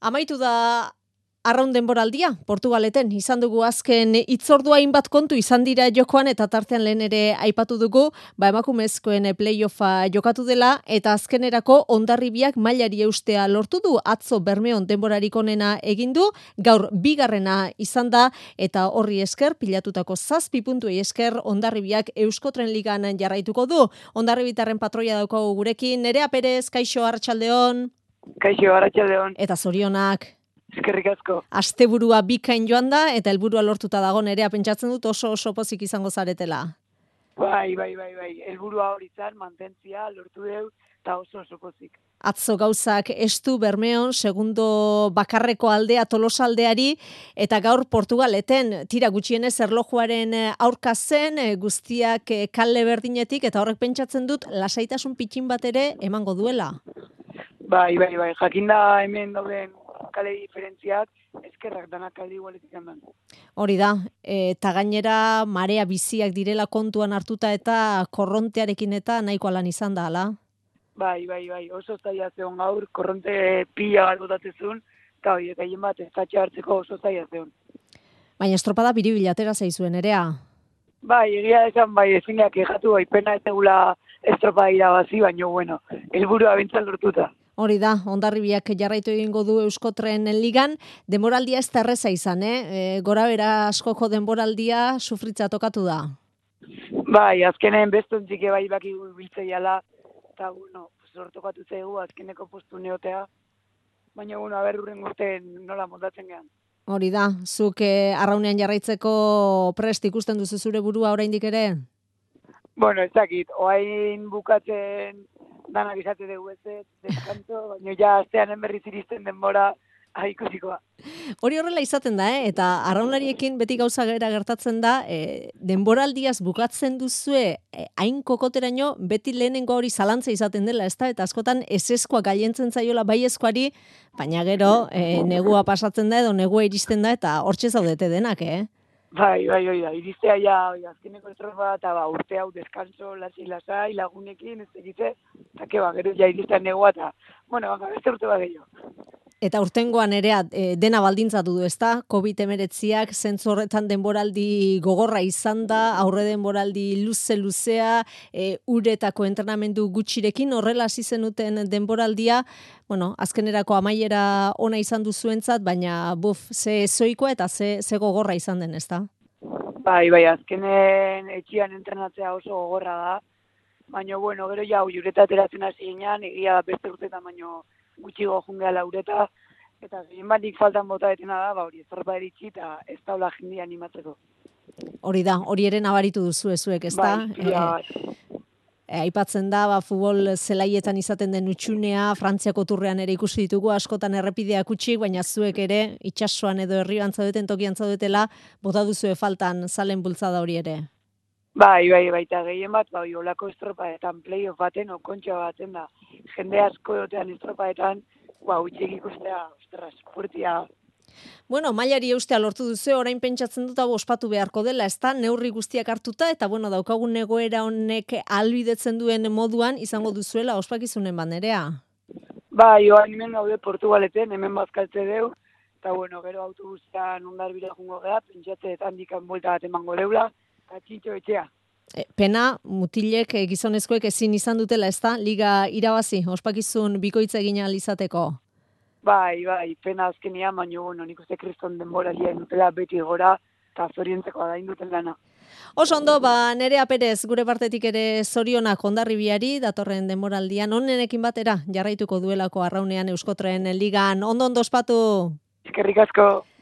Amaitu da arraun denboraldia, Portugaleten, izan dugu azken hitzordua hainbat kontu izan dira jokoan eta tartean lehen ere aipatu dugu, emakumezkoen playoffa jokatu dela eta azkenerako Hondarribiak mailari eustea lortu du, atzo Bermeon denborarik onena egin du, gaur bigarrena izan da eta horri esker pilatutako 7 puntuei esker Hondarribiak Euskotren Ligan jarraituko du. Hondarribitarren patroia daukagu gurekin, Nerea Perez, kaixo, arratsaldeon. Kaixo, arratsaldeon. Eta zorionak. Eskerrik asko. Asteburua bikain joan da eta helburua lortuta dago, Nerea, pentsatzen dut oso pozik izango zaretela. Bai. Helburua hori izan, mantentzia, lortu deu, eta oso pozik. Atzo gauzak estu Bermeon, segundo bakarreko aldea Tolosaldeari, eta gaur Portugaleten, tira gutxienez erlojuaren aurka zen, guztiak kale berdinetik, eta horrek pentsatzen dut lasaitasun pitxin bat ere emango duela. Bai. Jakinda hemen dauden kale diferentziak, eskerrak danak kale igualetik handan. Hori da, eta gainera marea biziak direla kontuan hartuta eta korrontearekin eta nahiko alan izan da, ala? Bai, oso zaila zeon gaur, korronte pila bat botatzezun, eta hori, gaien bat estatxe hartzeko oso zaila zeon. Baina estropada biribilatera zaizuen, Nerea? Bai, egia esan, ezinak egatu, pena ez egula estropada irabazi, baina bueno, helburua bintzal lortuta. Hori da, Hondarribiak jarraitu egingo du Euskotren Ligan, denboraldia ez da erreza izan, gora bera askoko denboraldia sufritza tokatu da. Bai, azkenen bestontzik bai baki biltzeiala, eta sortokatu zaigu azkeneko postu neotea, baina aberrurren urten nola montatzen gehan. Hori da, zuk arraunean jarraitzeko prest ikusten duzu zure burua oraindik ere? Bueno, ez dakit, oain bukatzen danak izate dugu deskanto, baina ja asteanen berriz iristen denbora ikusikoa. Hori horrela izaten da, eta arraunlariekin beti gauza gera gertatzen da, denboraldiaz bukatzen duzue, hain kokoteraino, beti lehenengo hori zalantza izaten dela, ezta? Eta askotan eseskoa gaientzen zaiola baiezkoari, baina gero negua pasatzen da edo negua iristen da, eta hortxe zaudete denak, Bai, iristea ja, azkeneko estropa eta urte hau deskanso, lasai, lagunekin, ez egite, eta gero ja iristea negua, eta, beste urte bat gehiago. Eta urtengoan ere dena baldintzatu du, ezta? COVID-19ak zentzu horretan denboraldi gogorra izan da, aurre denboraldi luzea, uretako entrenamendu gutxirekin, horrela hasi zenuten denboraldia, azkenerako amaiera ona izan duzuentzat, baina ze zoikoa eta ze gogorra izan den, ezta? Bai, azkenen etxian entrenatzea oso gogorra da, baina, gero ja, ureta ateratzen hasi ginean, egia beste urtetan, baina gutxigo jungea laureta, eta gehien batik faltan bota detena da, hori estropa eritxi eta ez daula jendia animatzeko. Hori da, hori ere nabaritu duzu ezuek, ez da? Aipatzen da, futbol zelaietan izaten den utxunea, Frantziako turrean ere ikusi ditugu, askotan errepideak utxik, baina zuek ere, itsasoan edo herrioan zaudeten, tokian zaudetela, bota duzue faltan zalen bultzada hori ere. Bai, eta gehien bat, olako estropaetan, playoff baten, kontxa baten da, jende asko dotean estropaetan, utxik ikustea, furtia. Mailari eustea lortu duzu, orain pentsatzen dut hau ospatu beharko dela, ez da, neurri guztiak hartuta, eta daukagun egoera honek ahalbidetzen duen moduan, izango duzuela ospakizunen Nerea. Bai, hemen gaude Portugaleten, hemen bazkaltze deu, eta gero autobusean Hondarribira jungo geha, pentsatze handikan buelta bat emango deula, eta txintxo etxea. Pena, mutilek gizonezkoek ezin izan dutela, ez da, liga irabazi, ospakizun bikoitza egin ahal izateko. Bai, pena azkenian, baina, nik uste kriston denboralia indutela beti gora, eta zoriontzeko da induten lana. Oso ondo, Nerea Perez, gure partetik ere zorionak Hondarribiari, datorren denboraldian, onenekin batera, jarraituko duelako arraunean Euskotren Ligan. Ondo ospatu! Eskerrik asko!